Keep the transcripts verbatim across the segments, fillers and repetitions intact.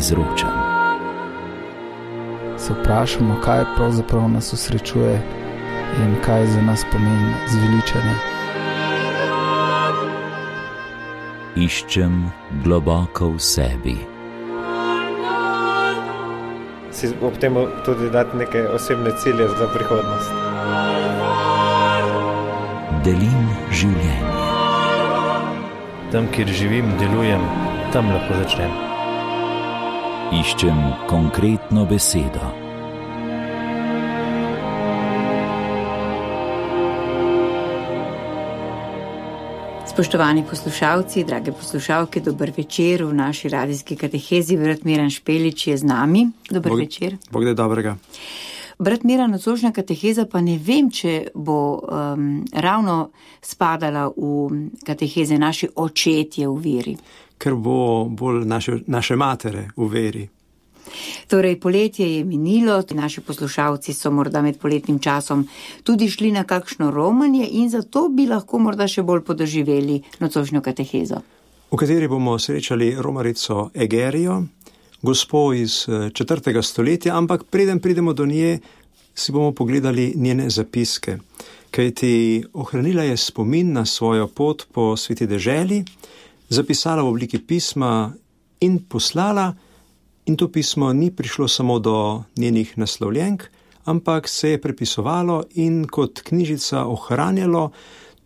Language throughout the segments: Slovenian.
izročam. Se vprašamo, kaj pravzaprav nas osrečuje in kaj za nas pomeni zveličanje. Iščem globoko v sebi. Si ob tem tudi dati neke osebne cilje za prihodnost. Delim življenje. Tam, kjer živim, delujem, tam lahko začnem. Iščem konkretno besedo. Spoštovani poslušalci, drage poslušalke, dober večer v naši radijski katehezi. Brat Miran Špelič je z nami. Dober Bog, večer. Bog da dobrega. Brat Miran, nocojšnja kateheza pa ne vem, če bo um, ravno spadala v kateheze naši očetje v veri. Ker bo bolj naše, naše matere v veri. Torej, poletje je minilo, naši poslušalci so morda med poletnim časom tudi šli na kakšno romanje in zato bi lahko morda še bolj podoživeli nocojšnjo katehezo. V kateri bomo srečali romarico Egerijo, gospo iz četrtega stoletja, ampak preden pridemo do nje, si bomo pogledali njene zapiske. Kajti ohranila je spomin na svojo pot po sveti deželi, zapisala v obliki pisma in poslala, in to pismo ni prišlo samo do njenih naslovljenk, ampak se je prepisovalo in kot knjižica ohranjalo,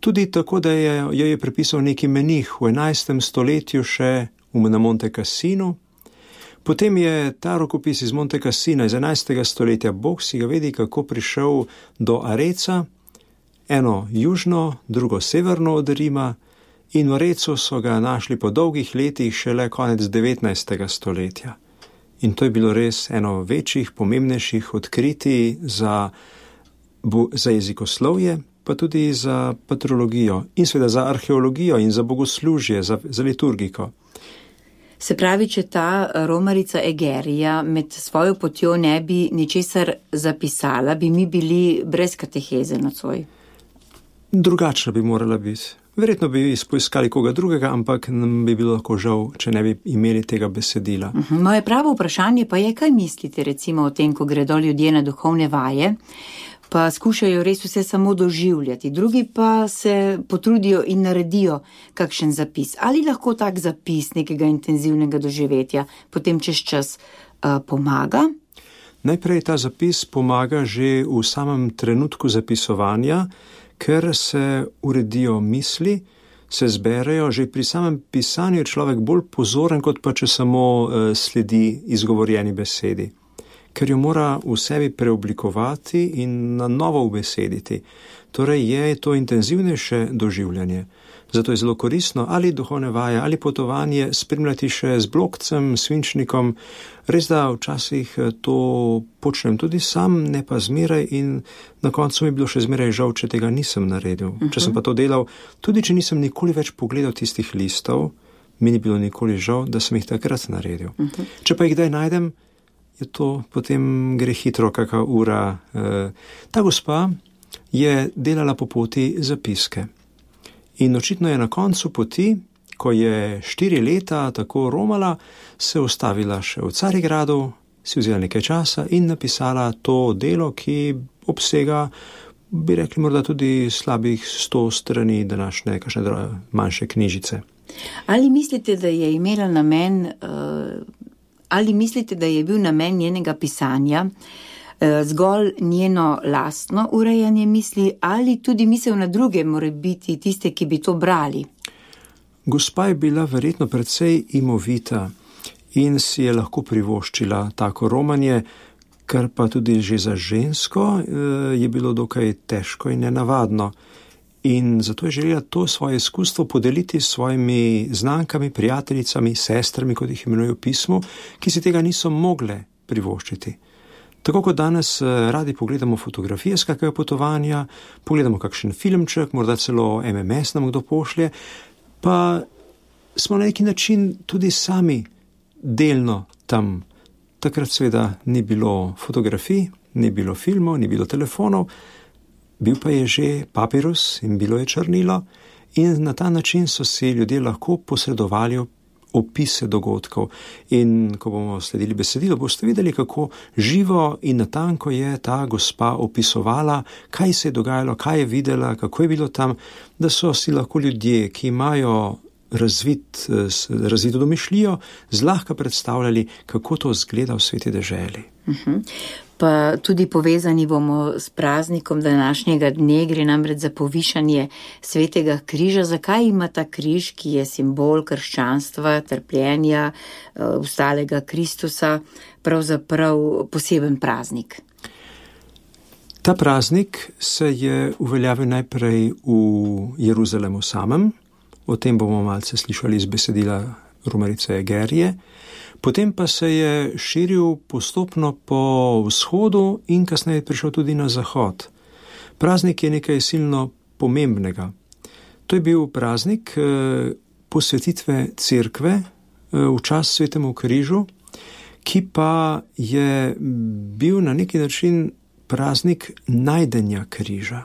tudi tako, da je, jo je prepisal neki menih v enajstem stoletju še na Monte Cassinu. Potem je ta rokopis iz Monte Cassina iz enajstega stoletja, Bog si ga vedi, kako prišel do Areca, eno južno, drugo severno od Rima, in v Arecu so ga našli po dolgih letih šele konec devetnajstega stoletja. In to je bilo res eno večjih, pomembnejših odkritij za, za jezikoslovje, pa tudi za patrologijo in seveda za arheologijo in za bogoslužje, za, za liturgiko. Se pravi, če ta romarica Egerija med svojo potjo ne bi ničesar zapisala, bi mi bili brez kateheze nocoj? Drugačna bi morala biti. Verjetno bi poiskali koga drugega, ampak nam bi bilo lahko žal, če ne bi imeli tega besedila. Uh-huh. Moje pravo vprašanje pa je, kaj mislite recimo o tem, ko gredo ljudje na duhovne vaje, pa skušajo res vse samo doživljati, drugi pa se potrudijo in naredijo kakšen zapis. Ali lahko tak zapis nekega intenzivnega doživetja potem čez čas uh, pomaga? Najprej ta zapis pomaga že v samem trenutku zapisovanja, ker se uredijo misli, se zberejo, že pri samem pisanju je človek bolj pozoren, kot pa če samo uh, sledi izgovorjeni besedi. Ker jo mora v sebi preoblikovati in na novo ubesediti. Torej je to intenzivnejše doživljanje. Zato je zelo koristno ali duhovne vaje, ali potovanje spremljati še z blokcem, svinčnikom. Res da včasih to počnem tudi sam, ne pa zmeraj in na koncu mi je bilo še zmeraj žal, če tega nisem naredil. Uh-huh. Če sem pa to delal, tudi če nisem nikoli več pogledal tistih listov, mi ni bilo nikoli žal, da sem jih takrat naredil. Uh-huh. Če pa jih kdaj najdem, je to potem gre hitro, kakva ura. Ta gospa je delala po poti zapiske. In očitno je na koncu poti, ko je štiri leta tako romala, se ustavila še v Carigradu, si vzela nekaj časa in napisala to delo, ki obsega, bi rekli morda tudi slabih sto strani današnje kakšne manjše knjižice. Ali mislite, da je imela namen, ali mislite, da je bil namen njenega pisanja zgolj njeno lastno urejanje misli ali tudi misel na druge more biti tiste, ki bi to brali? Gospa je bila verjetno precej imovita in si je lahko privoščila tako romanje, kar pa tudi že za žensko je bilo dokaj težko in nenavadno. In zato je želela to svoje izkustvo podeliti s svojimi znankami, prijateljicami, sestrami, kot jih imenujejo v pismu, ki si tega niso mogle privoščiti. Tako kot danes radi pogledamo fotografije z kakega potovanja, pogledamo kakšen filmček, morda celo em em es nam kdo pošlje, pa smo na neki način tudi sami delno tam. Takrat seveda ni bilo fotografij, ni bilo filmov, ni bilo telefonov, bil pa je že papirus in bilo je črnilo in na ta način so si ljudje lahko posredovali opise dogodkov. In ko bomo sledili besedilo, boste videli, kako živo in natanko je ta gospa opisovala, kaj se je dogajalo, kaj je videla, kako je bilo tam, da so si lahko ljudje, ki imajo razvit, razvito domišljijo, zlahka predstavljali, kako to zgleda v sveti deželi. Uh-huh. Pa tudi povezani bomo s praznikom današnjega dne, gre namreč za povišanje svetega križa. Zakaj ima ta križ, ki je simbol krščanstva, trpljenja, ustalega Kristusa, pravzaprav poseben praznik? Ta praznik se je uveljavil najprej v Jeruzalemu samem, o tem bomo malce slišali iz besedila romarice Egerije. Potem pa se je širil postopno po vzhodu in kasneje prišel tudi na zahod. Praznik je nekaj silno pomembnega. To je bil praznik posvetitve cerkve v čast svetemu križu, ki pa je bil na neki način praznik najdenja križa.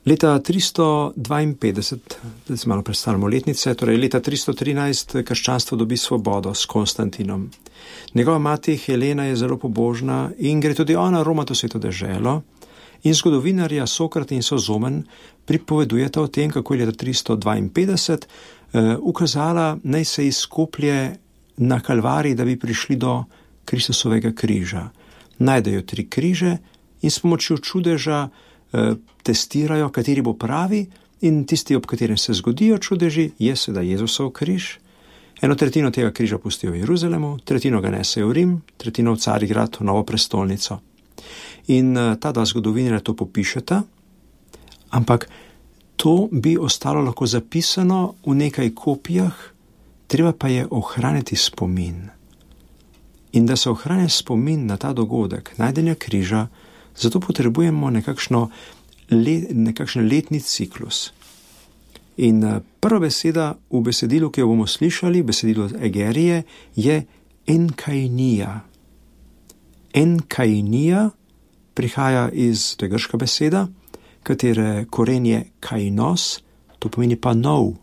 Leta tristo dvainpetdeset, da se malo predstavljamo letnice, torej leta tristo trinajst krščanstvo dobi svobodo s Konstantinom. Njegova mati Helena je zelo pobožna in gre tudi ona romati v sveto deželo in zgodovinarja Sokrat in Sozomen pripovedujeta o tem, kako je leta tristo dvainpetdeset eh, ukazala, naj se izkoplje na Kalvariji, da bi prišli do Kristusovega križa. Najdejo tri križe in s pomočjo čudeža testirajo, kateri bo pravi, in tisti, ob katerem se zgodijo čudeži, je sedaj Jezusov križ. Eno tretjino tega križa pustijo v Jeruzalemu, tretjino ga nesejo v Rim, tretjino v Carigrad, v novo prestolnico. In ta dva zgodovinarja to popišeta, ampak to bi ostalo lahko zapisano v nekaj kopijah, treba pa je ohraniti spomin. In da se ohranja spomin na ta dogodek, najdenja križa, zato potrebujemo nekakšno let, nekakšen letni ciklus. In prva beseda v besedilu, ki jo bomo slišali, besedilu Egerije, je enkainija. Enkainija prihaja iz, to je grška beseda, katere koren je kainos, to pomeni pa nov.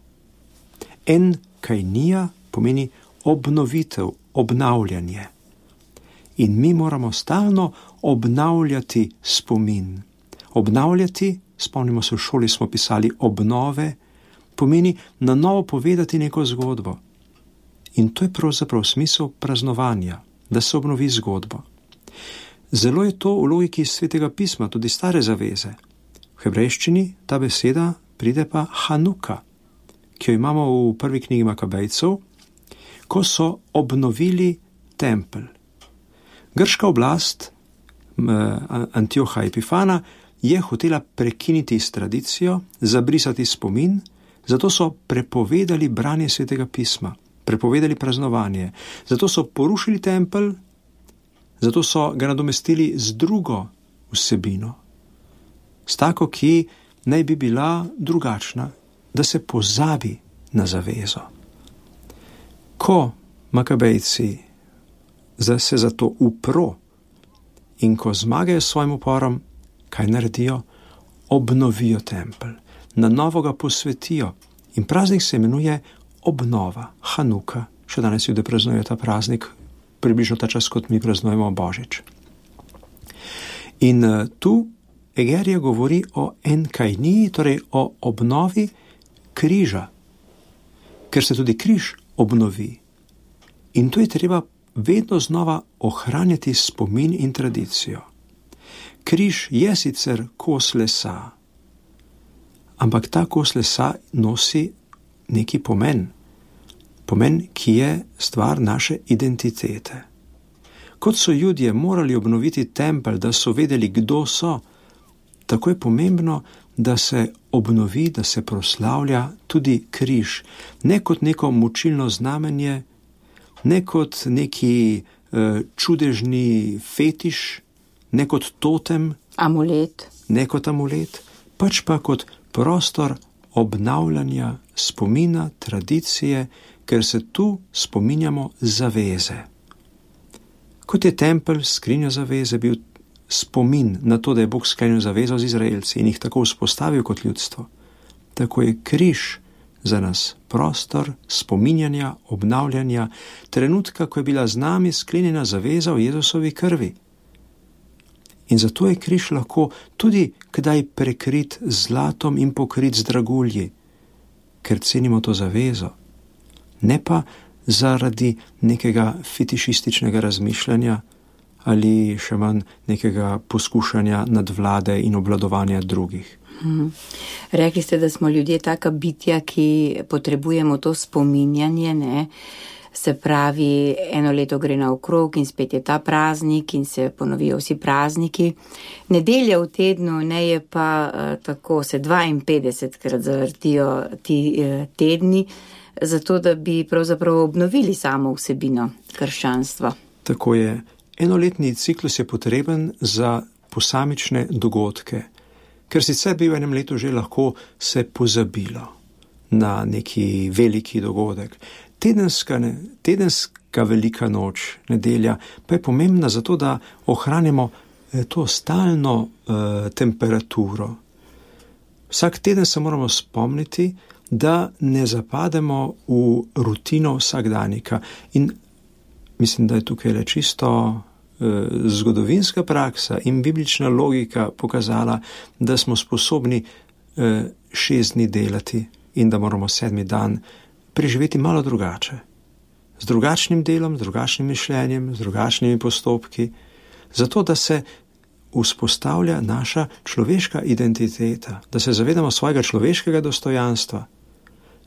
Enkainija pomeni obnovitev, obnavljanje. In mi moramo stalno obnavljati spomin. Obnavljati, spomnimo se, v šoli smo pisali obnove, pomeni na novo povedati neko zgodbo. In to je pravzaprav smisel praznovanja, da se obnovi zgodbo. Zelo je to v logiki svetega pisma, tudi stare zaveze. V hebrejščini ta beseda pride pa Hanuka, ki jo imamo v prvi knjigi Makabejcev, ko so obnovili tempelj. Grška oblast Antioha Epifana je hotela prekiniti s tradicijo, zabrisati spomin, zato so prepovedali branje svetega pisma, prepovedali praznovanje, zato so porušili tempelj, zato so ga nadomestili z drugo vsebino, s tako, ki naj bi bila drugačna, da se pozabi na zavezo. Ko Makabejci se za to upro in ko zmagajo s svojim uporom, kaj naredijo? Obnovijo tempelj, na novo ga posvetijo in praznik se imenuje obnova, Hanuka. Še danes ljudje praznujejo ta praznik, približno ta čas, kot mi praznujemo Božič. In uh, tu Egerija govori o enkainiji, torej o obnovi križa, ker se tudi križ obnovi. In tu je treba vedno znova ohranjati spomin in tradicijo. Križ je sicer kos lesa, ampak ta kos lesa nosi neki pomen. Pomen, ki je stvar naše identitete. Kot so Judje morali obnoviti tempelj, da so vedeli, kdo so, tako je pomembno, da se obnovi, da se proslavlja tudi križ. Ne kot neko mučilno znamenje, ne kot neki uh, čudežni fetiš, ne kot totem, amulet. ne kot amulet, pač pa kot prostor obnavljanja spomina, tradicije, ker se tu spominjamo zaveze. Kot je tempelj, skrinja zaveze, bil spomin na to, da je Bog sklenil zavezo z Izraelci in jih tako vzpostavil kot ljudstvo, tako je križ za nas prostor spominjanja, obnavljanja, trenutka, ko je bila z nami sklenjena zaveza v Jezusovi krvi. In zato je križ lahko tudi kdaj prekrit z zlatom in pokrit z dragulji, ker cenimo to zavezo, ne pa zaradi nekega fetišističnega razmišljanja ali še manj nekega poskušanja nadvlade in obvladovanja drugih. Hmm. Rekli ste, da smo ljudje taka bitja, ki potrebujemo to spominjanje, ne? Se pravi, eno leto gre naokrog in spet je ta praznik in se ponovijo vsi prazniki. Nedelja v tednu ne je pa uh, tako, se dvainpetdesetkrat zavrtijo ti uh, tedni, zato da bi pravzaprav obnovili samo vsebino krščanstva. Tako je. Enoletni ciklus je potreben za posamične dogodke, ker sicer bi v enem letu že lahko se pozabilo na neki veliki dogodek. Tedenska, tedenska velika noč, nedelja, pa je pomembna zato, da ohranimo to stalno uh, temperaturo. Vsak teden se moramo spomniti, da ne zapademo v rutino vsakdanika. In mislim, da je tukaj le čisto eh, zgodovinska praksa in biblična logika pokazala, da smo sposobni eh, šest dni delati in da moramo sedmi dan preživeti malo drugače. Z drugačnim delom, z drugačnim mišljenjem, z drugačnimi postopki, zato da se vzpostavlja naša človeška identiteta, da se zavedamo svojega človeškega dostojanstva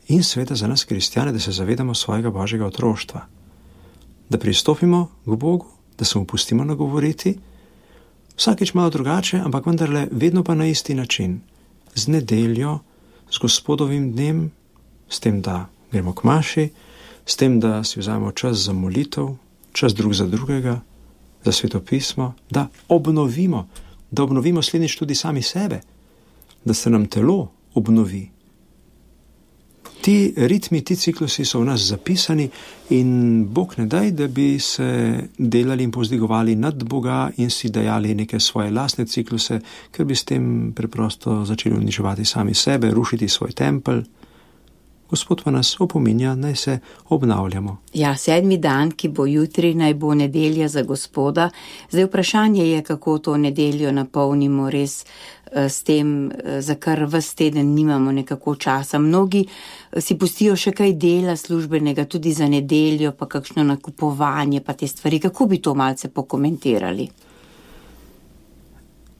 in seveda za nas kristjane, da se zavedamo svojega božjega otroštva. Da pristopimo k Bogu, da se mu pustimo nagovoriti, vsakeč malo drugače, ampak vendarle vedno pa na isti način. Z nedeljo, z Gospodovim dnem, s tem, da gremo k maši, s tem, da si vzamemo čas za molitev, čas drug za drugega, za Sveto pismo, da obnovimo, da obnovimo slednjič tudi sami sebe, da se nam telo obnovi. Ti ritmi, ti ciklusi so v nas zapisani in Bog ne daj, da bi se delali in povzdigovali nad Boga in si dajali neke svoje lastne cikluse, ker bi s tem preprosto začeli uničevati sami sebe, rušiti svoj tempelj. Gospod pa nas opominja, naj se obnavljamo. Ja, sedmi dan, ki bo jutri, naj bo nedelja za Gospoda. Zdaj vprašanje je, kako to nedeljo napolnimo res s tem, za kar ves teden nimamo nekako časa. Mnogi si pustijo še kaj dela službenega tudi za nedeljo, pa kakšno nakupovanje, pa te stvari. Kako bi to malce pokomentirali?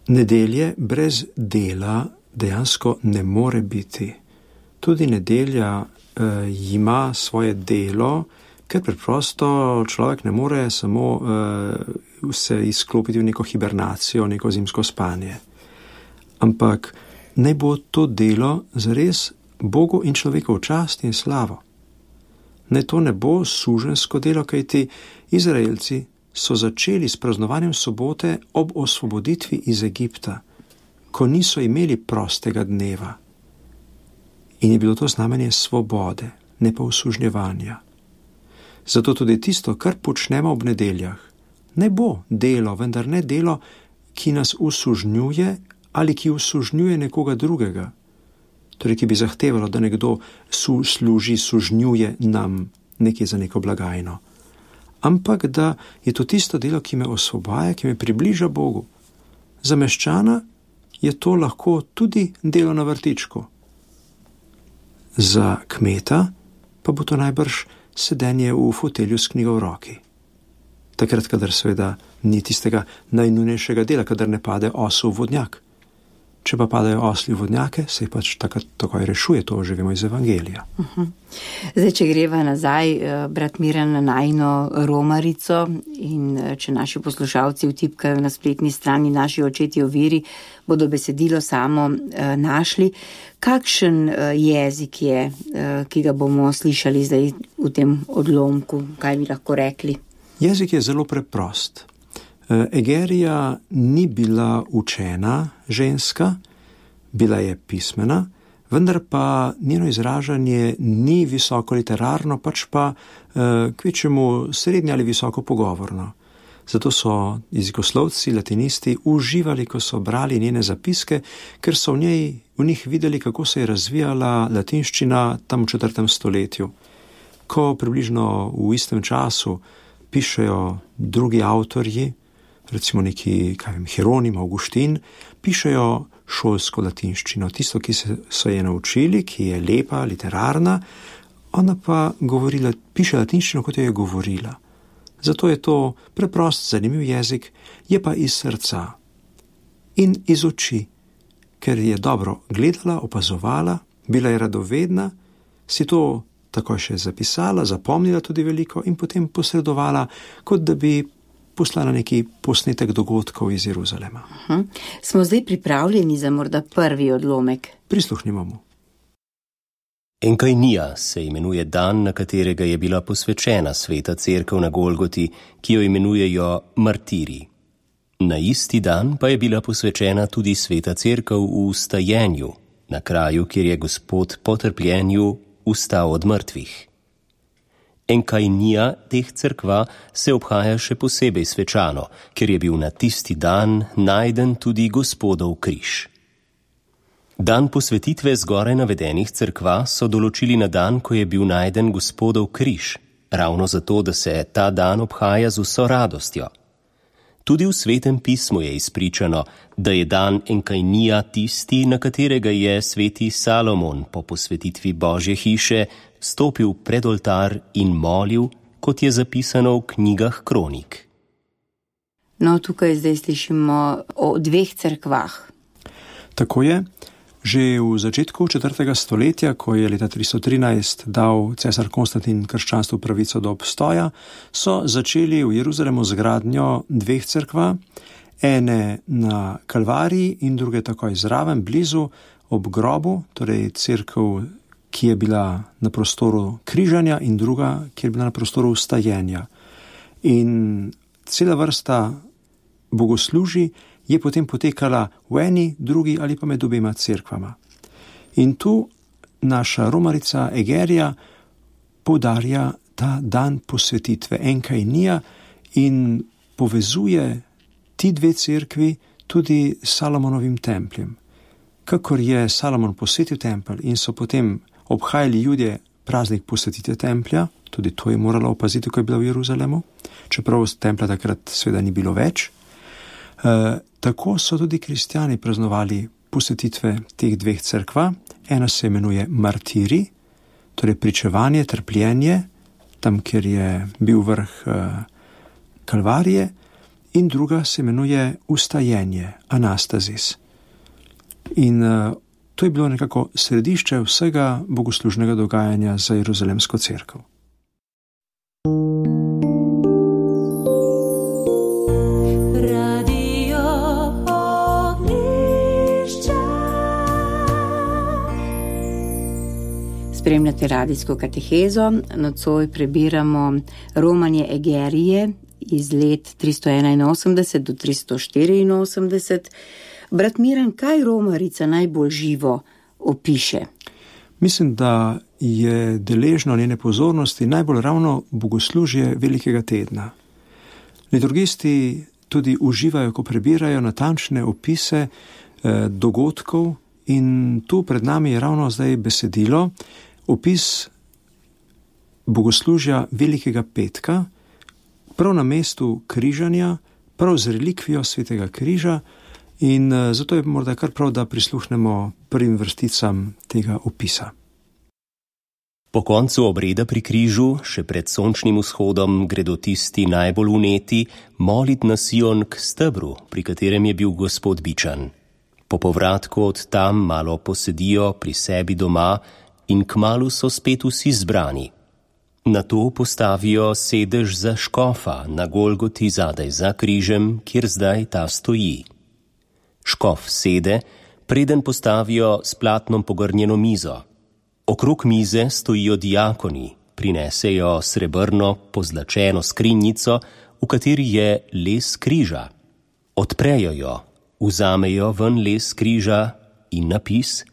Nedelje brez dela dejansko ne more biti. Tudi nedelja eh, ima svoje delo, ker preprosto človek ne more samo eh, se izklopiti v neko hibernacijo, neko zimsko spanje. Ampak naj bo to delo zares Bogu in človeku v čast in slavo. Naj to ne bo suženjsko delo, kajti Izraelci so začeli s praznovanjem sobote ob osvoboditvi iz Egipta, ko niso imeli prostega dneva. In je bilo to znamenje svobode, ne pa usužnjevanja. Zato tudi tisto, kar počnemo ob nedeljah, ne bo delo, vendar ne delo, ki nas usužnjuje ali ki usužnjuje nekoga drugega, torej ki bi zahtevalo, da nekdo su, služi, sužnjuje nam nekaj za neko blagajno. Ampak da je to tisto delo, ki me osvobaja, ki me približa Bogu. Za meščana je to lahko tudi delo na vrtičku. Za kmeta pa bo to najbrž sedenje v fotelju s knjigo v roki. Takrat, kadar seveda ni tistega najnujnejšega dela, kadar ne pade osel v vodnjak. Če pa padajo osli v vodnjake, se jih pač takrat takoj rešuje, to že vemo iz Evangelija. Uh-huh. Zdaj, če greva nazaj, brat Miran, na najino romarico in če naši poslušalci vtipkajo na spletni strani Naši očetje v veri, bodo besedilo samo uh, našli. Kakšen uh, jezik je, uh, ki ga bomo slišali zdaj v tem odlomku? Kaj bi lahko rekli? Jezik je zelo preprost. Egerija ni bila učena ženska, bila je pismena, vendar pa njeno izražanje ni visoko literarno, pač pa kvečemu srednje ali visoko pogovorno. Zato so jezikoslovci, latinisti uživali, ko so brali njene zapiske, ker so v njej, v njih videli, kako se je razvijala latinščina tam v četrtem stoletju. Ko približno v istem času pišejo drugi avtorji, recimo neki, kaj vem, Hieronim, Augustin, pišejo šolsko latinščino, tisto, ki se, so je naučili, ki je lepa, literarna, ona pa govorila, piše latinščino, kot jo je govorila. Zato je to preprost, zanimiv jezik, je pa iz srca in iz oči, ker je dobro gledala, opazovala, bila je radovedna, si to takoj še zapisala, zapomnila tudi veliko in potem posredovala, kot da bi poslala neki posnetek dogodkov iz Jeruzalema. Uh-huh. Smo zdaj pripravljeni za morda prvi odlomek? Prisluhnimo mu. Enkainija se imenuje dan, na katerega je bila posvečena sveta cerkev na Golgoti, ki jo imenujejo martiri. Na isti dan pa je bila posvečena tudi sveta cerkev v vstajenju, na kraju, kjer je Gospod po trpljenju vstal od mrtvih. Enkainija teh cerkva se obhaja še posebej svečano, ker je bil na tisti dan najden tudi Gospodov križ. Dan posvetitve zgoraj navedenih cerkva so določili na dan, ko je bil najden Gospodov križ, ravno zato, da se ta dan obhaja z vso radostjo. Tudi v Svetem pismu je izpričano, da je dan Enkainija tisti, na katerega je sveti Salomon po posvetitvi Božje hiše stopil pred oltar in molil, kot je zapisano v knjigah kronik. No, tukaj zdaj slišimo o dveh cerkvah. Tako je. Že v začetku četrtega stoletja, ko je leta tristo trinajst dal cesar Konstantin krščanstvu pravico do obstoja, so začeli v Jeruzalemu z gradnjo dveh cerkva, ene na Kalvariji in druge takoj zraven, blizu, ob grobu, torej cerkev, ki je bila na prostoru križanja in druga, ki je bila na prostoru vstajenja. In cela vrsta bogoslužij je potem potekala v eni, drugi ali pa med obema cerkvama. In tu naša romarica Egerija poudarja ta dan posvetitve Enkainija in povezuje ti dve cerkvi tudi s Salomonovim templjem. Kakor je Salomon posvetil tempelj in so potem obhajali Judje praznik posvetitve templja, tudi to je morala opaziti, ko je bila v Jeruzalemu, čeprav templja takrat seveda ni bilo več. Uh, tako so tudi kristjani praznovali posvetitve teh dveh cerkva. Ena se imenuje martiri, torej pričevanje, trpljenje, tam, kjer je bil vrh uh, Kalvarije, in druga se imenuje vstajenje, anastazis. In uh, to je bilo nekako središče vsega bogoslužnega dogajanja za Jeruzalemsko cerkev. Spremljate radijsko katehezo, nocoj prebiramo romanje Egerije iz let tristo enainosemdeset do tristo štiriinosemdeset. Brat Miran, kaj romarica najbolj živo opiše? Mislim, da je deležno njene pozornosti najbolj ravno bogoslužje Velikega tedna. Liturgisti tudi uživajo, ko prebirajo natančne opise eh, dogodkov in tu pred nami je ravno zdaj besedilo, opis bogoslužja Velikega petka, prav na mestu križanja, prav z relikvijo svetega križa in zato je morda kar prav, da prisluhnemo prvim vrsticam tega opisa. Po koncu obreda pri križu, še pred sončnim vzhodom, gredo tisti najbolj uneti molit na Sion k stebru, pri katerem je bil Gospod bičan. Po povratku od tam malo posedijo pri sebi doma in kmalu so spet vsi zbrani. Nato postavijo sedež za škofa na Golgoti zadaj za križem, kjer zdaj ta stoji. Škof sede, preden postavijo s platnom pogrnjeno mizo. Okrog mize stojijo diakoni, prinesejo srebrno pozlačeno skrinjico, v kateri je les križa. Odprejo jo, vzamejo ven les križa in napis,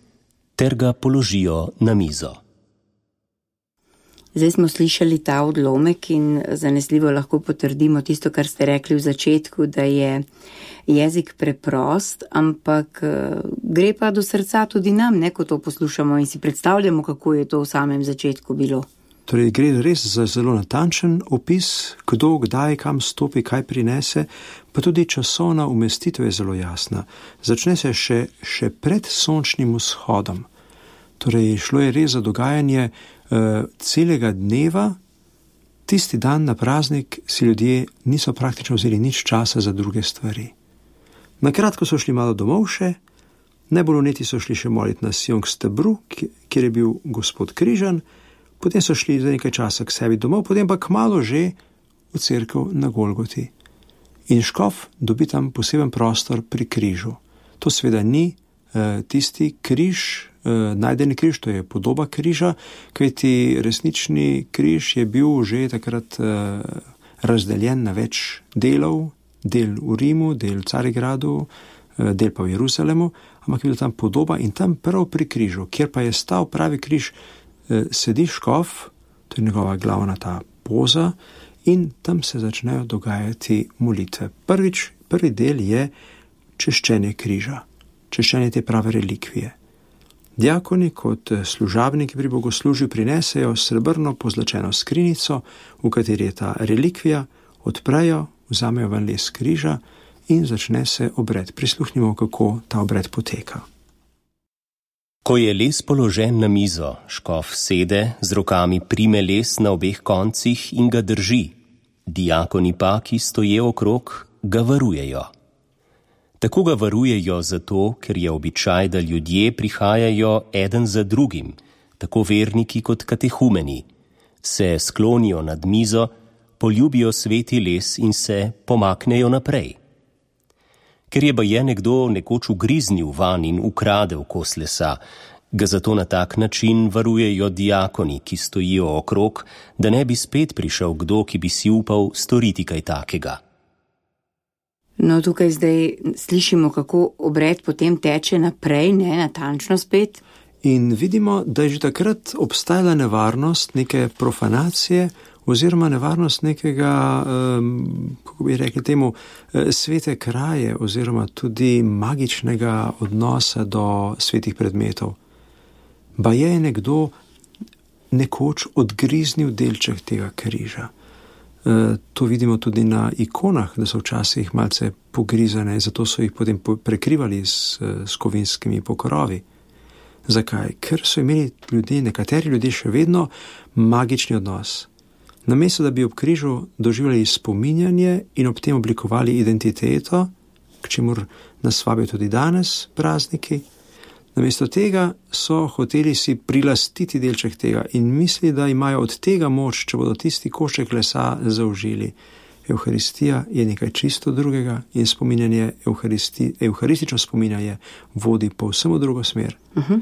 ter ga položijo na mizo. Zdaj smo slišali ta odlomek in zanesljivo lahko potrdimo tisto, kar ste rekli v začetku, da je jezik preprost, ampak gre pa do srca tudi nam, ne, ko to poslušamo in si predstavljamo, kako je to v samem začetku bilo. Torej, gre res za zelo natančen opis, kdo, kdaj, kam stopi, kaj prinese, pa tudi časovna umestitev je zelo jasna. Začne se še, še pred sončnim vzhodom. Torej, šlo je res za dogajanje uh, celega dneva. Tisti dan na praznik si ljudje niso praktično vzeli nič časa za druge stvari. Nakratko so šli malo domov še, najbolj vneti so šli še moliti na Sion k stebru, kjer je bil Gospod križan, potem so šli za nekaj časa k sebi domov, potem pa kmalu že v cerkev na Golgoti. In škof dobi tam poseben prostor pri križu. To seveda ni uh, tisti križ, uh, najdeni križ, to je podoba križa, kajti resnični križ je bil že takrat uh, razdeljen na več delov, del v Rimu, del v Carigradu, uh, del pa v Jeruzalemu, ampak je bila tam podoba in tam prav pri križu, kjer pa je stal pravi križ, uh, sedi škof, to je njegova glavna ta poza, in tam se začnejo dogajati molitve. Prvič, prvi del je češčenje križa, češčenje te prave relikvije. Diakoni kot služabniki pri bogoslužju prinesejo srebrno pozlačeno skrinjico, v kateri je ta relikvija, odprejo, vzamejo ven les križa in začne se obred. Prisluhnimo, kako ta obred poteka. Ko je les položen na mizo, škof sede, z rokami prime les na obeh koncih in ga drži. Diakoni pa, ki stoje okrog, ga varujejo. Tako ga varujejo zato, ker je običaj, da ljudje prihajajo eden za drugim, tako verniki kot katehumeni, se sklonijo nad mizo, poljubijo sveti les in se pomaknejo naprej. Ker je baje nekdo nekoč ugriznil van in ukradel kos lesa, ga zato na tak način varujejo diakoni, ki stojijo okrog, da ne bi spet prišel kdo, ki bi si upal storiti kaj takega. No, tukaj zdaj slišimo, kako obred potem teče naprej, ne, natančno spet. In vidimo, da je že takrat obstajala nevarnost neke profanacije oziroma nevarnost nekega, um, kako bi rekli temu, svete kraje oziroma tudi magičnega odnosa do svetih predmetov. Baje je nekdo nekoč odgriznil delček tega križa. Uh, to vidimo tudi na ikonah, da so včasih malce pogrizane, zato so jih potem prekrivali s, s kovinskimi pokrovi. Zakaj? Ker so imeli ljudje, nekateri ljudje še vedno magični odnos. Namesto da bi ob križu doživljali spominjanje in ob tem oblikovali identiteto, k čemur nas vabijo tudi danes prazniki, namesto tega so hoteli si prilastiti delček tega in misli, da imajo od tega moč, če bodo tisti košček lesa zaužili. Evharistija je nekaj čisto drugega in spominjanje, evharistično spominjanje vodi povsem v drugo smer. Uh-huh.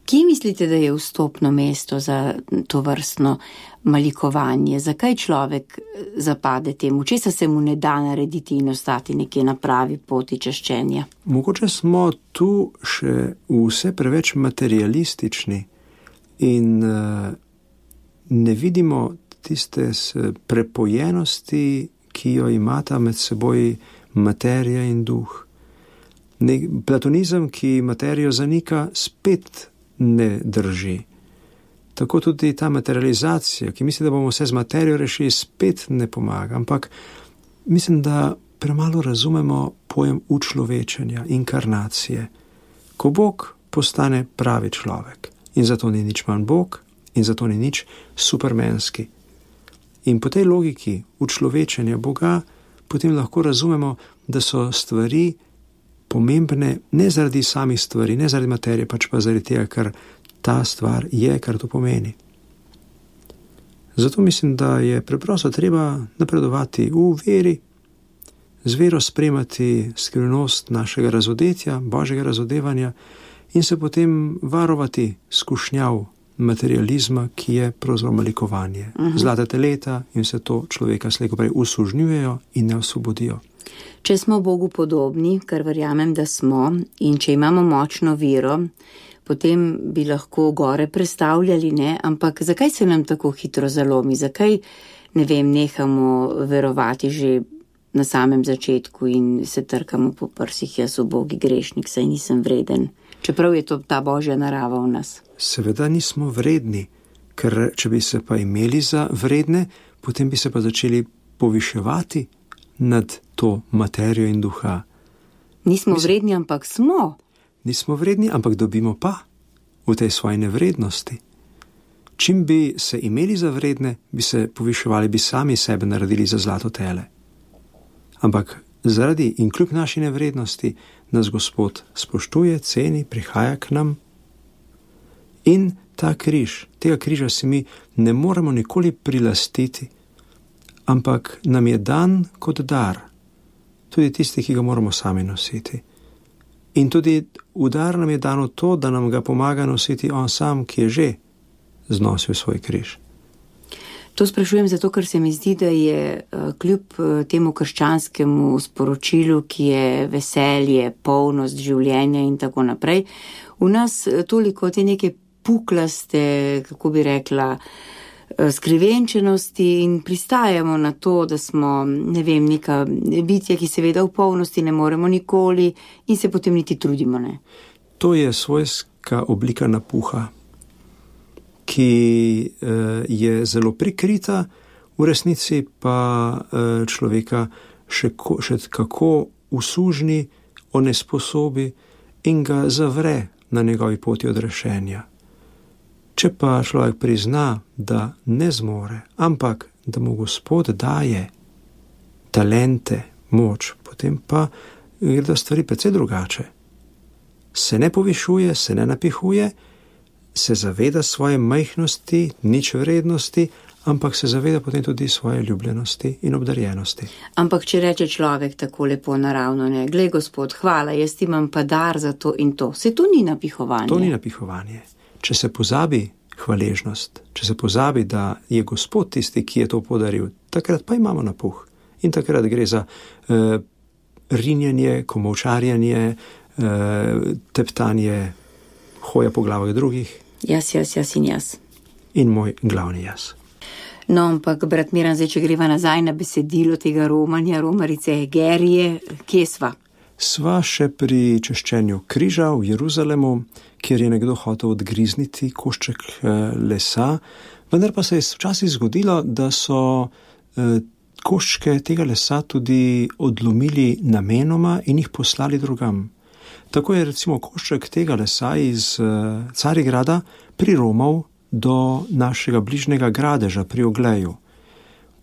Kje mislite, da je vstopno mesto za to vrstno malikovanje? Zakaj človek zapade temu? Česa se mu ne da narediti in ostati nekje na pravi poti češčenja? Mogoče smo tu še vse preveč materialistični in uh, ne vidimo tiste prepojenosti, ki jo imata med seboj materija in duh. Ne, platonizem, ki materijo zanika, spet ne drži. Tako tudi ta materializacija, ki misli, da bomo vse z materijo rešili, spet ne pomaga. Ampak mislim, da premalo razumemo pojem učlovečenja, inkarnacije. Ko Bog postane pravi človek in zato ni nič manj Bog in zato ni nič supermenski. In po tej logiki učlovečenja Boga potem lahko razumemo, da so stvari pomembne ne zaradi samih stvari, ne zaradi materije, pač pa zaradi tega, ker ta stvar je, kar to pomeni. Zato mislim, da je preprosto treba napredovati v veri, z vero spremati skrivnost našega razodetja, Božjega razodevanja in se potem varovati skušnjav materializma, ki je pravzaprav malikovanje. Uh-huh. Zlata teleta in vse to človeka slej ko prej usužnjujejo in ne osvobodijo. Če smo Bogu podobni, kar verjamem, da smo, in če imamo močno vero, potem bi lahko gore prestavljali, ne? Ampak zakaj se nam tako hitro zalomi? Zakaj, ne vem, nehamo verovati že na samem začetku in se trkamo po prsih, jaz ubogi grešnik, saj nisem vreden, čeprav je to ta božja narava v nas? Seveda nismo vredni, ker če bi se pa imeli za vredne, potem bi se pa začeli poviševati nad to materijo in duha. Nismo Mislim, vredni, ampak smo. Nismo vredni, ampak dobimo pa v tej svoji nevrednosti. Čim bi se imeli za vredne, bi se poviševali, bi sami sebe naredili za zlato tele. Ampak zaradi in kljub naši nevrednosti nas Gospod spoštuje, ceni, prihaja k nam. In ta križ, tega križa si mi ne moremo nikoli prilastiti, ampak nam je dan kot dar, tudi tisti, ki ga moramo sami nositi. In tudi v dar nam je dano to, da nam ga pomaga nositi on sam, ki je že znosil svoj križ. To sprašujem zato, ker se mi zdi, da je kljub temu krščanskemu sporočilu, ki je veselje, polnost življenja in tako naprej, v nas toliko te neke puklaste, kako bi rekla, skrivenčenosti in pristajamo na to, da smo, ne vem, neka bitja, ki seveda v polnosti ne moremo nikoli in se potem niti trudimo, ne? To je svojska oblika napuha, ki je zelo prikrita, v resnici pa človeka še, ko, še kako usužni, onesposobi in ga zavre na njegovi poti odrešenja. Če pa človek prizna, da ne zmore, ampak da mu Gospod daje talente, moč, potem pa gredo stvari precej drugače. Se ne povišuje, se ne napihuje, se zaveda svoje majhnosti, nič vrednosti, ampak se zaveda potem tudi svoje ljubljenosti in obdarjenosti. Ampak če reče človek tako lepo naravno, ne, glej Gospod, hvala, jaz imam pa dar za to in to, se to ni napihovanje. To ni napihovanje. Če se pozabi hvaležnost, če se pozabi, da je Gospod tisti, ki je to podaril, takrat pa imamo napuh. In takrat gre za uh, rinjenje, komolčarjanje, uh, teptanje, hoja po glavah drugih. Jaz, jaz, jaz in jaz. In moj glavni jaz. No, ampak, brat Miran, zdaj, če greva nazaj na besedilo tega romanja, romarice Egerije, kje sva? Sva še pri češčenju križa v Jeruzalemu, kjer je nekdo hotel odgrizniti košček lesa, vendar pa se je včasih zgodilo, da so koščke tega lesa tudi odlomili namenoma in jih poslali drugam. Tako je recimo košček tega lesa iz Carigrada priromal do našega bližnjega gradeža pri Ogleju.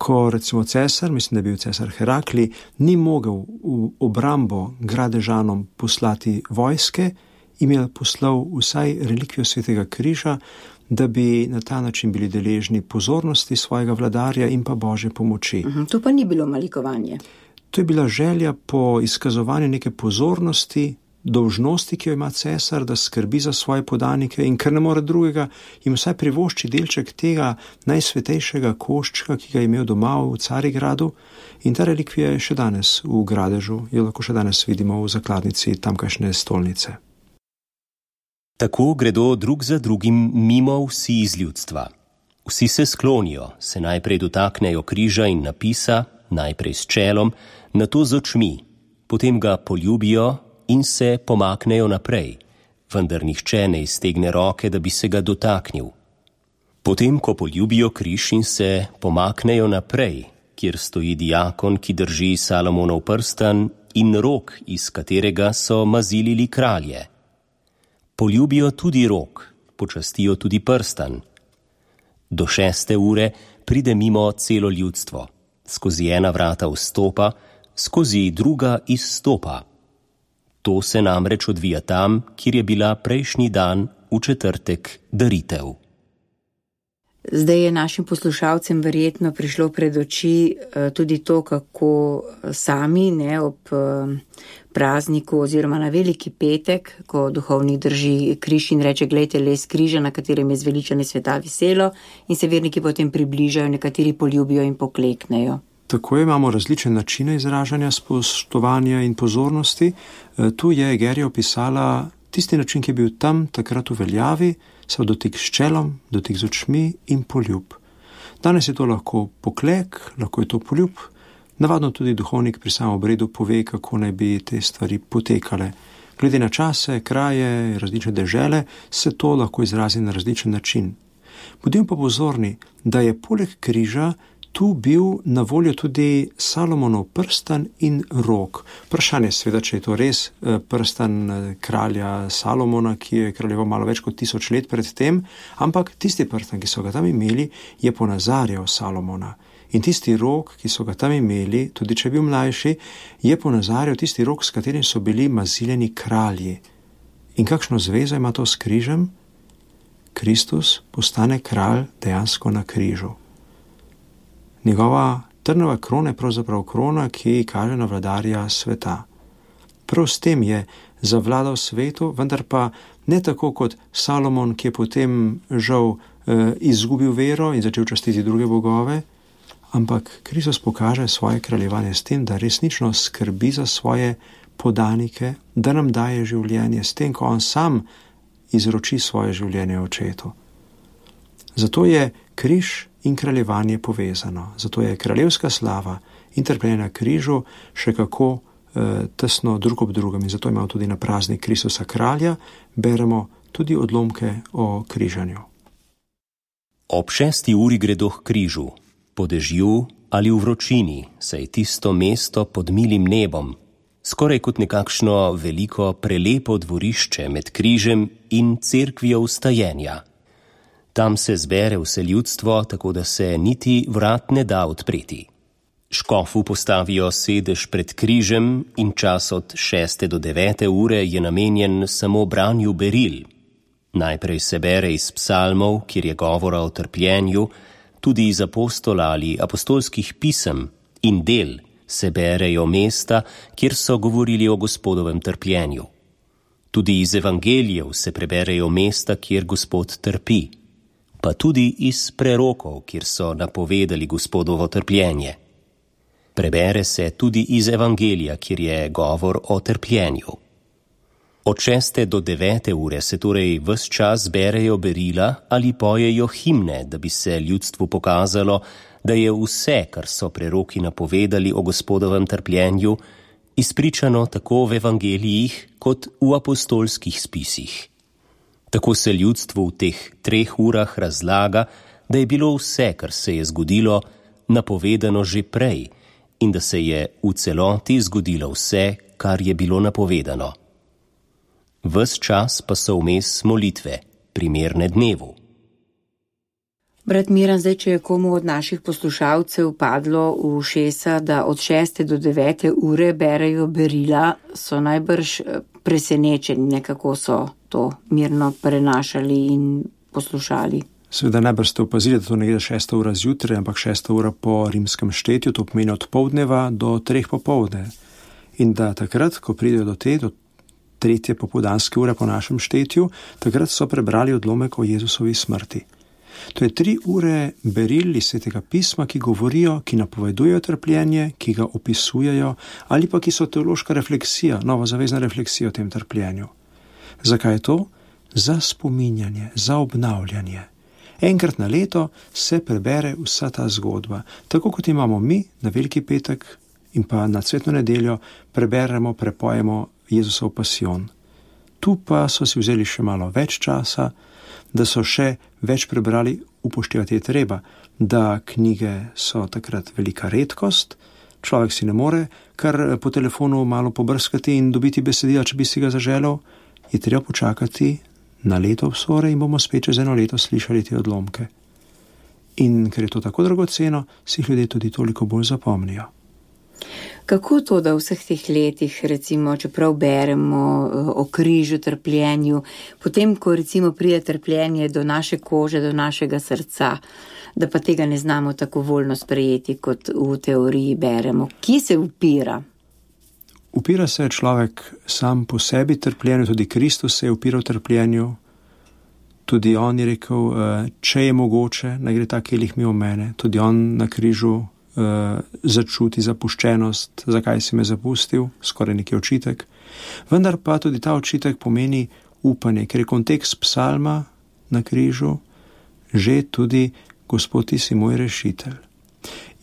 Ko recimo cesar, mislim, da je bil cesar Herakli, ni mogel v obrambo gradežanom poslati vojske, jim je poslal vsaj relikvijo svetega križa, da bi na ta način bili deležni pozornosti svojega vladarja in pa Božje pomoči. Uhum, to pa ni bilo malikovanje. To je bila želja po izkazovanju neke pozornosti, dolžnosti, ki jo ima cesar, da skrbi za svoje podanike in ker ne more drugega, jim vsaj privošči delček tega najsvetejšega koščka, ki ga je imel doma v Carigradu, in ta relikvija je še danes v gradežu, jo lahko še danes vidimo v zakladnici tamkajšnje stolnice. Tako gredo drug za drugim mimo vsi iz ljudstva. Vsi se sklonijo, se najprej dotaknejo križa in napisa, najprej s čelom, nato z očmi, potem ga poljubijo in se pomaknejo naprej, vendar nihče ne iztegne roke, da bi se ga dotaknil. Potem, ko poljubijo križ in se pomaknejo naprej, kjer stoji diakon, ki drži Salomonov prstan in rog, iz katerega so mazilili kralje. Poljubijo tudi rog, počastijo tudi prstan. Do šeste ure pride mimo celo ljudstvo. Skozi ena vrata vstopa, skozi druga izstopa. To se namreč odvija tam, kjer je bila prejšnji dan v četrtek daritev. Zdaj je našim poslušalcem verjetno prišlo pred oči tudi to, kako sami ne, ob prazniku oziroma na veliki petek, ko duhovnik drži križ in reče, glejte les križa, na katerem je zveličanje sveta viselo, in se verniki potem približajo, nekateri poljubijo in pokleknejo. tako imamo različne načine izražanja spoštovanja in pozornosti. Tu je Egerija opisala tisti način, ki je bil tam takrat v veljavi, so dotik s čelom, dotik z očmi in poljub. Danes je to lahko poklek, lahko je to poljub. Navadno tudi duhovnik pri samem obredu pove, kako naj bi te stvari potekale. Glede na čase, kraje, različne dežele, se to lahko izrazi na različen način. Bodimo pa pozorni, da je poleg križa tu bil na voljo tudi Salomonov prstan in rog. Vprašanje je seveda, če je to res prstan kralja Salomona, ki je kraljeval malo več kot tisoč let pred tem, ampak tisti prstan, ki so ga tam imeli, je ponazarjal Salomona. In tisti rog, ki so ga tam imeli, tudi če je bil mlajši, je ponazarjal tisti rog, s katerim so bili maziljeni kralji. In kakšno zvezo ima to s križem? Kristus postane kralj dejansko na križu. Njegova trnova krona je pravzaprav krona, ki kaže na vladarja sveta. Prav s tem je zavladal svetu, vendar pa ne tako kot Salomon, ki je potem žal eh, izgubil vero in začel častiti druge bogove, ampak Kristus pokaže svoje kraljevanje s tem, da resnično skrbi za svoje podanike, da nam daje življenje s tem, ko on sam izroči svoje življenje očetu. Zato je križ in kraljevanje povezano. Zato je kraljevska slava in trpljenje na križu še kako eh, tesno drug ob drugem. In zato imamo tudi na praznik Kristusa kralja, beremo tudi odlomke o križanju. Ob šesti uri gredo k križu, po dežju ali v vročini, saj tisto mesto pod milim nebom, skoraj kot nekakšno veliko prelepo dvorišče med križem in cerkvijo vstajenja. Tam se zbere vse ljudstvo, tako da se niti vrat ne da odpreti. Škofu postavijo sedež pred križem in čas od šeste do devete ure je namenjen samo branju beril. Najprej se bere iz psalmov, kjer je govora o trpljenju, tudi iz apostola ali apostolskih pisem in del se berejo mesta, kjer so govorili o Gospodovem trpljenju. Tudi iz evangelijev se preberejo mesta, kjer Gospod trpi, pa tudi iz prerokov, kjer so napovedali Gospodovo trpljenje. Prebere se tudi iz evangelija, kjer je govor o trpljenju. Od šeste do devete ure se torej ves čas berejo berila ali pojejo himne, da bi se ljudstvu pokazalo, da je vse, kar so preroki napovedali o Gospodovem trpljenju, izpričano tako v evangelijih kot v apostolskih spisih. Tako se ljudstvu v teh treh urah razlaga, da je bilo vse, kar se je zgodilo, napovedano že prej in da se je v celoti zgodilo vse, kar je bilo napovedano. Ves čas pa so vmes molitve, primerne dnevu. Brat Miran, zdaj, če je komu od naših poslušalcev padlo v ušesa, da od šeste do devete ure berejo berila, so najbrž presenečeni, nekako so to mirno prenašali in poslušali. Seveda najbrž ste opazili, da to ne gre šesta ura zjutraj, ampak šesta ura po rimskem štetju, to pomeni od poldneva do treh popoldne. In da takrat, ko pridejo do te, do tretje popoldanske ure po našem štetju, takrat so prebrali odlomek o Jezusovi smrti. To je tri ure beril iz Svetega pisma, ki govorijo, ki napovedujejo trpljenje, ki ga opisujejo, ali pa ki so teološka refleksija, novozavezna refleksija o tem trpljenju. Zakaj je to? Za spominjanje, za obnavljanje. Enkrat na leto se prebere vsa ta zgodba. Tako kot imamo mi na Veliki petek in pa na Cvetno nedeljo, preberemo, prepojemo Jezusov pasijon. Tu pa so si vzeli še malo več časa, da so še več prebrali, upoštevati je treba, da knjige so takrat velika redkost, človek si ne more kar po telefonu malo pobrskati in dobiti besedila, če bi si ga zaželel, je treba počakati na leto obsore in bomo spet čez eno leto slišali te odlomke. In ker je to tako dragoceno, si jih ljudje tudi toliko bolj zapomnijo. Kako to, da v vseh teh letih, recimo, čeprav beremo o križu, trpljenju, potem, ko recimo pride trpljenje do naše kože, do našega srca, da pa tega ne znamo tako voljno sprejeti, kot v teoriji beremo. Kje se upira? Upira se človek sam po sebi trpljenju, tudi Kristus se je upiral trpljenju, tudi on je rekel, če je mogoče, naj gre ta kelih mimo mene, tudi on na križu začuti zapuščenost, zakaj si me zapustil, skoraj neki očitek. Vendar pa tudi ta očitek pomeni upanje, ker je kontekst psalma na križu že tudi Gospod, ti si moj rešitelj.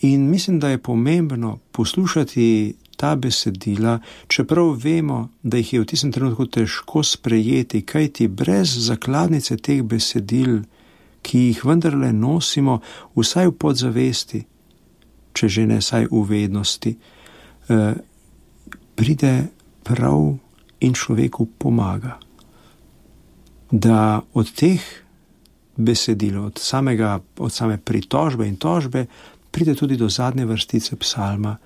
In mislim, da je pomembno poslušati ta besedila, čeprav vemo, da jih je v tistem trenutku težko sprejeti, kajti brez zakladnice teh besedil, ki jih vendarle nosimo vsaj v podzavesti, če že ne saj v vednosti, eh, pride prav in človeku pomaga. Da od teh besedil, od, samega, od same pritožbe in tožbe, pride tudi do zadnje vrstice psalma,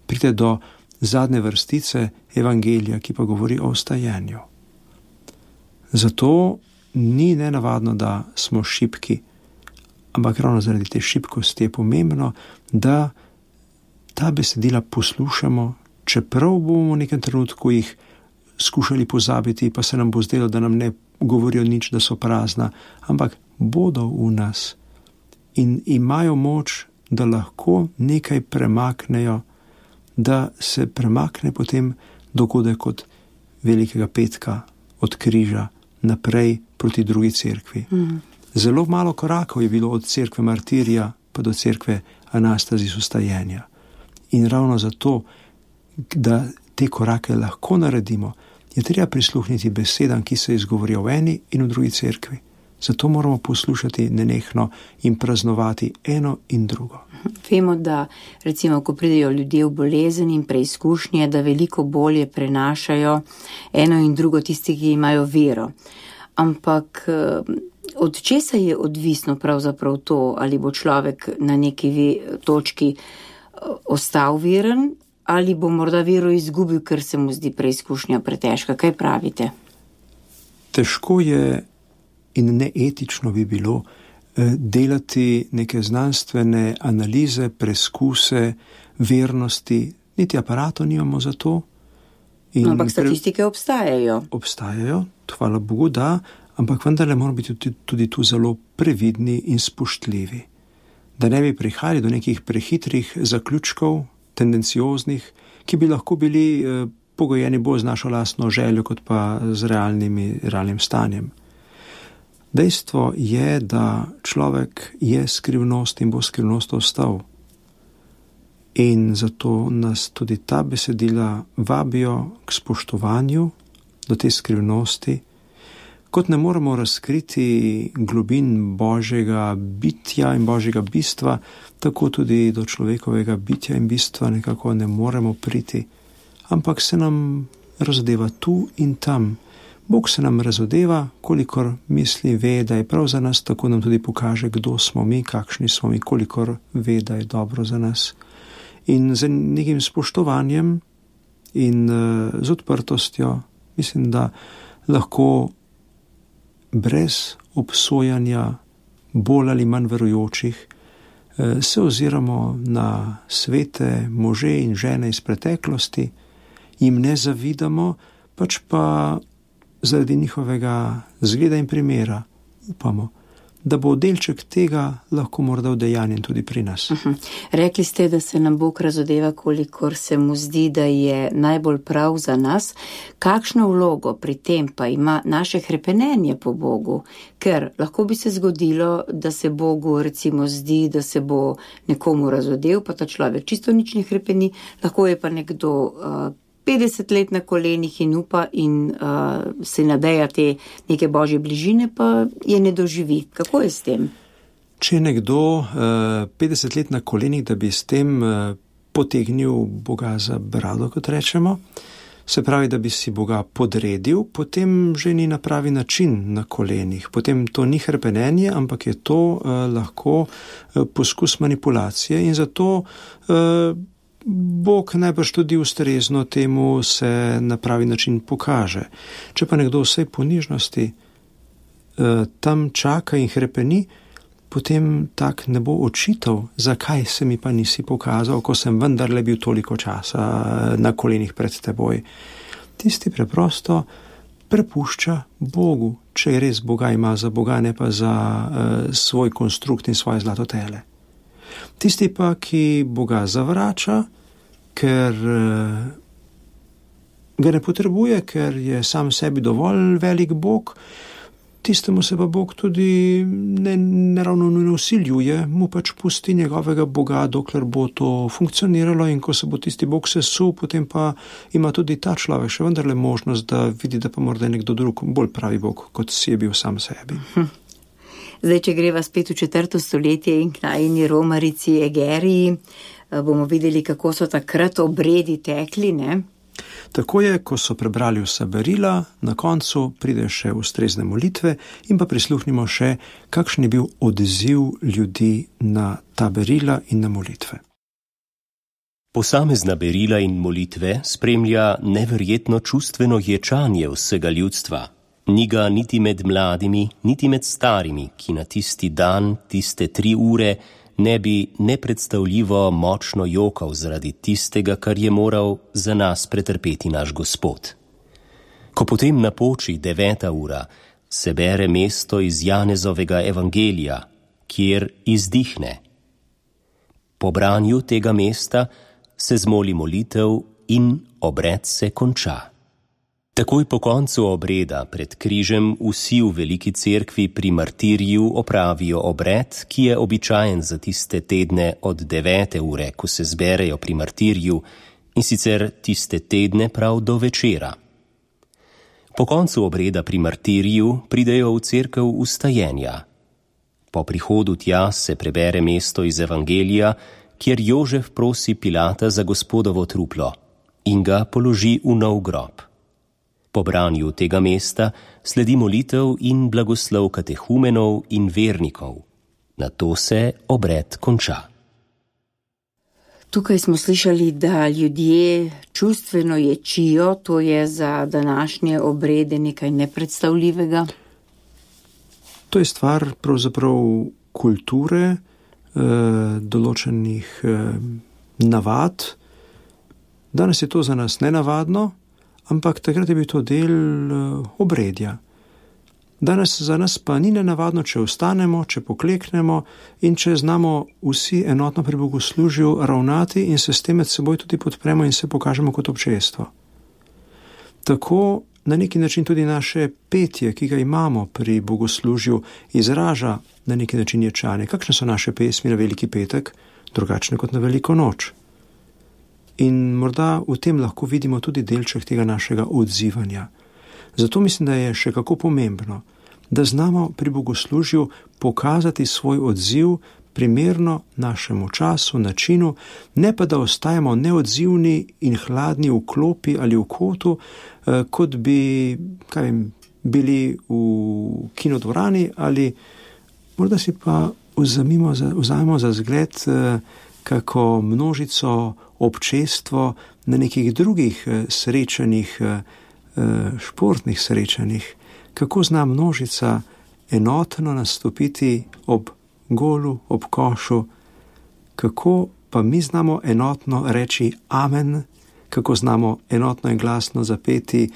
pride do zadnje vrstice evangelija, ki pa govori o vstajenju. Zato ni nenavadno, da smo šibki, ampak ravno zaradi te šibkosti je pomembno, da ta besedila poslušamo, čeprav bomo v nekem trenutku jih skušali pozabiti, pa se nam bo zdelo, da nam ne govorijo nič, da so prazna, ampak bodo v nas in imajo moč, da lahko nekaj premaknejo, da se premakne potem dogodek od Velikega petka, od križa naprej proti drugi cerkvi. Mm. Zelo malo korakov je bilo od cerkve martirja pa do cerkve Anastazis vstajenja. In ravno zato, da te korake lahko naredimo, je treba prisluhniti besedam, ki se izgovorijo v eni in v drugi cerkvi. Zato moramo poslušati nenehno in praznovati eno in drugo. Vemo, da recimo, ko pridejo ljudje v bolezen in preizkušnje, da veliko bolje prenašajo eno in drugo tisti, ki imajo vero. Ampak od česa je odvisno pravzaprav to, ali bo človek na neki točki ostal veren, ali bo morda vero izgubil, ker se mu zdi preizkušnja pretežka. Kaj pravite? Težko je in neetično bi bilo delati neke znanstvene analize, preskuse, vernosti, niti aparato nimamo za to. In no, ampak statistike obstajajo. Obstajajo, hvala Bogu, da, ampak vendarle moramo biti tudi, tudi tu zelo previdni in spoštljivi. Da ne bi prihajali do nekih prehitrih zaključkov, tendencioznih, ki bi lahko bili eh, pogojeni bolj z našo lastno željo, kot pa z realnimi, realnim stanjem. Dejstvo je, da človek je skrivnost in bo skrivnost ostal. In zato nas tudi ta besedila vabijo k spoštovanju do te skrivnosti, kot ne moremo razkriti globin Božjega bitja in Božjega bistva, tako tudi do človekovega bitja in bistva nekako ne moremo priti, ampak se nam razodeva tu in tam. Bog se nam razodeva, kolikor misli, ve, da je prav za nas, tako nam tudi pokaže, kdo smo mi, kakšni smo mi, kolikor ve, da je dobro za nas. In z nekim spoštovanjem in uh, z odprtostjo, mislim, da lahko brez obsojanja bolj ali manj verujočih uh, se oziramo na svete može in žene iz preteklosti, jim ne zavidamo, pač pa zaradi njihovega zgleda in primera upamo, da bo delček tega lahko morda udejanjen tudi pri nas. Uh-huh. Rekli ste, da se nam Bog razodeva, kolikor se mu zdi, da je najbolj prav za nas. Kakšno vlogo pri tem pa ima naše hrepenenje po Bogu? Ker lahko bi se zgodilo, da se Bogu recimo zdi, da se bo nekomu razodev, pa ta človek čisto nič ne hrepeni, lahko je pa nekdo uh, petdeset let na kolenih in upa in uh, se nadeja te neke Božje bližine, pa je ne doživi. Kako je s tem? Če je nekdo uh, petdeset let na kolenih, da bi s tem uh, potegnil Boga za brado, kot rečemo, se pravi, da bi si Boga podredil, potem že ni na pravi način na kolenih. Potem to ni hrepenenje, ampak je to uh, lahko uh, poskus manipulacije in zato uh, Bog najbrž tudi ustrezno temu se na pravi način pokaže. Če pa nekdo vsej ponižnosti eh, tam čaka in hrepeni, potem tak ne bo očital, zakaj se mi pa nisi pokazal, ko sem vendarle bil toliko časa na kolenih pred teboj. Tisti preprosto prepušča Bogu, če je res Boga ima za Boga, ne pa za eh, svoj konstrukt in svoje zlato tele. Tisti pa, ki Boga zavrača, ker ga ne potrebuje, ker je sam sebi dovolj velik Bog, tistemu se pa Bog tudi ne, ne ravno ne usiljuje, mu pač pusti njegovega Boga, dokler bo to funkcioniralo, in ko se bo tisti Bog sesul, potem pa ima tudi ta človek še vendarle možnost, da vidi, da pa morda nekdo drug bolj pravi Bog, kot si je bil sam sebi. Zdaj, če greva spet v četrto stoletje in k najini romarici Egeriji, bomo videli, kako so takrat obredi tekli, ne? Tako je, ko so prebrali vsa berila, na koncu pride še ustrezne molitve in pa prisluhnimo še, kakšen je bil odziv ljudi na ta berila in na molitve. Posamezna berila in molitve spremlja neverjetno čustveno ječanje vsega ljudstva. Ni ga niti med mladimi, niti med starimi, ki na tisti dan, tiste tri ure, ne bi nepredstavljivo močno jokal zaradi tistega, kar je moral za nas pretrpeti naš Gospod. Ko potem napoči deveta ura, se bere mesto iz Janezovega evangelija, kjer izdihne. Po branju tega mesta se zmoli molitev in obred se konča. Takoj po koncu obreda pred križem vsi v veliki cerkvi pri martirju opravijo obred, ki je običajen za tiste tedne od devete ure, ko se zberejo pri martirju, in sicer tiste tedne prav do večera. Po koncu obreda pri martirju pridejo v cerkev ustajenja. Po prihodu tja se prebere mesto iz evangelija, kjer Jožef prosi Pilata za Gospodovo truplo in ga položi v nov grob. Po branju tega mesta sledi molitev in blagoslov katehumenov in vernikov. Nato se obred konča. Tukaj smo slišali, da ljudje čustveno ječijo, to je za današnje obrede nekaj nepredstavljivega. To je stvar pravzaprav kulture, eh, določenih eh, navad. Danes je to za nas nenavadno, ampak takrat je bil to del uh, obredja. Danes za nas pa ni nenavadno, če vstanemo, če pokleknemo in če znamo vsi enotno pri bogoslužju ravnati in se s tem med seboj tudi podpremo in se pokažemo kot občestvo. Tako na neki način tudi naše petje, ki ga imamo pri bogoslužju, izraža na neki način ječanje. Kakšne so naše pesmi na Veliki petek, drugačne kot na Veliko noč? In morda v tem lahko vidimo tudi delček tega našega odzivanja. Zato mislim, da je še kako pomembno, da znamo pri bogoslužju pokazati svoj odziv primerno našemu času, načinu, ne pa da ostajamo neodzivni in hladni v klopi ali v kotu, kot bi kaj vem, bili v kinodvorani, ali morda si pa vzamemo za, vzamemo za zgled kako množico občestvo na nekih drugih srečanjih, športnih srečanjih, kako zna množica enotno nastopiti ob golu, ob košu, kako pa mi znamo enotno reči amen, kako znamo enotno in glasno zapeti,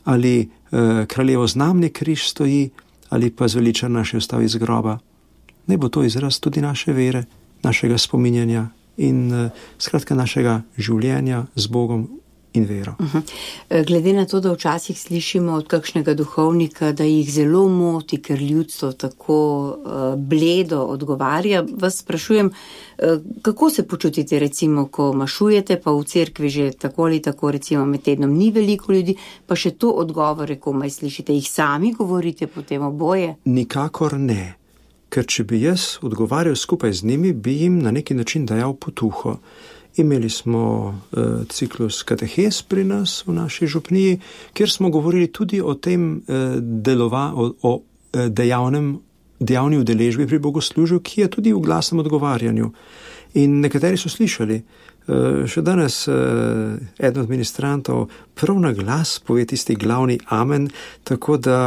ali eh, kraljevo znamni križ stoji, ali pa zveličar naše vstavi iz groba. Naj bo to izraz tudi naše vere, našega spominjanja in uh, skratka našega življenja z Bogom in vero. Uh-huh. Glede na to, da včasih slišimo od kakšnega duhovnika, da jih zelo moti, ker ljudstvo tako uh, bledo odgovarja, vas sprašujem, uh, kako se počutite recimo, ko mašujete, pa v cerkvi že tako ali tako recimo med tednom ni veliko ljudi, pa še to odgovore komaj slišite, jih sami govorite potem oboje? Nikakor ne. Ker če bi jaz odgovarjal skupaj z njimi, bi jim na neki način dajal potuho. Imeli smo uh, ciklus katehes pri nas v naši župniji, kjer smo govorili tudi o tem uh, delova, o, o uh, dejavnem, dejavni udeležbi pri bogoslužju, ki je tudi v glasnem odgovarjanju. In nekateri so slišali, uh, še danes uh, eden od ministrantov prav na glas pove tisti glavni amen, tako da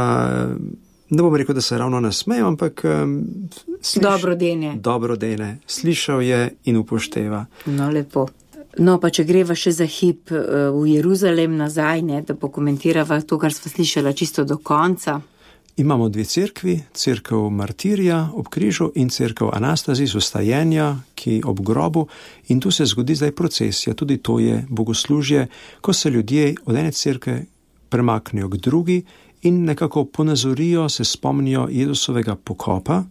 ne bom rekel, da se ravno nasmejo, ampak um, sliš... dobro dene. Dobro dene. Slišal je in upošteva. No, lepo. No, pa če greva še za hip uh, v Jeruzalem nazaj, ne, da pokomentirava to, kar sva slišala čisto do konca. Imamo dve cerkvi, cerkev Martirja ob križu in cerkev Anastazis ustajenja, ki ob grobu, in tu se zgodi zdaj procesija, tudi to je bogoslužje, ko se ljudje od ene cerkve premaknejo k drugi in nekako ponazorijo, se spomnijo Jezusovega pokopa,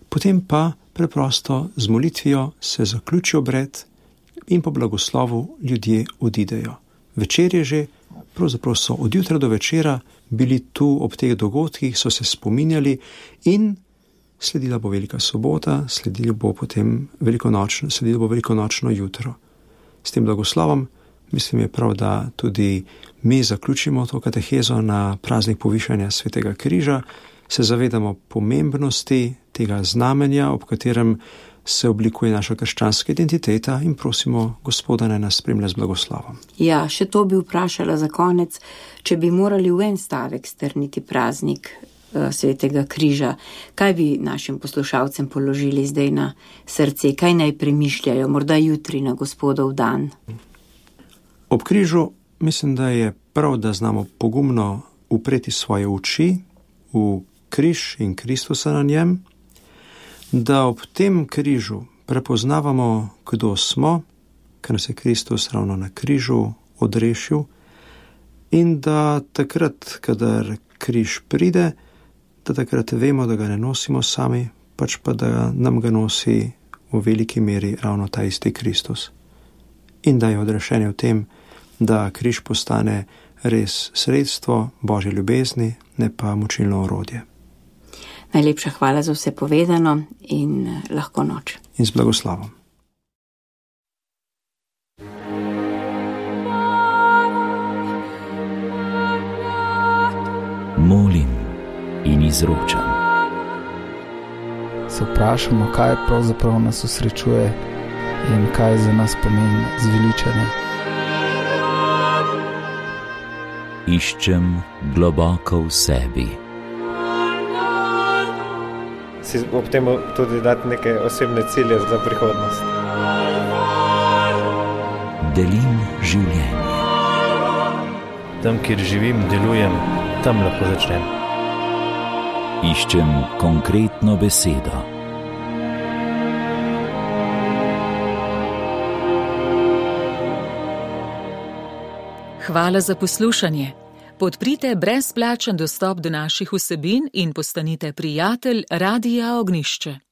potem pa preprosto z molitvijo se zaključi obred in po blagoslovu ljudje odidejo. Večer je že, pravzaprav so od jutra do večera bili tu ob teh dogodkih, so se spominjali in sledila bo Velika sobota, sledilo bo potem velikonočno, sledilo bo velikonočno jutro. S tem blagoslovom mislim je prav, da tudi mi zaključimo to katehezo na praznik povišanja Svetega križa, se zavedamo pomembnosti tega znamenja, ob katerem se oblikuje naša krščanska identiteta in prosimo Gospoda, naj nas spremlja z blagoslovom. Ja, še to bi vprašala za konec, če bi morali v en stavek strniti praznik uh, Svetega križa, kaj bi našim poslušalcem položili zdaj na srce, kaj naj premišljajo, morda jutri na Gospodov dan? Ob križu mislim, da je prav, da znamo pogumno upreti svoje oči v križ in Kristusa na njem, da ob tem križu prepoznavamo, kdo smo, ker nas je Kristus ravno na križu odrešil, in da takrat, kadar križ pride, da takrat vemo, da ga ne nosimo sami, pač pa da nam ga nosi v veliki meri ravno ta isti Kristus. In da je odrešenje v tem, da križ postane res sredstvo Božje ljubezni, ne pa mučilno orodje. Najlepša hvala za vse povedano in lahko noč. In z blagoslovom. Molim in izročam. Se vprašamo, kaj pravzaprav nas osrečuje in kaj za nas pomeni zveličanje. Iščem globoko v sebi. Si ob tem tudi dati neke osebne cilje za prihodnost. Delim življenje. Tam, kjer živim, delujem, tam lahko začnem. Iščem konkretno besedo. Hvala za poslušanje. Podprite brezplačen dostop do naših vsebin in postanite prijatelj Radia Ognjišče.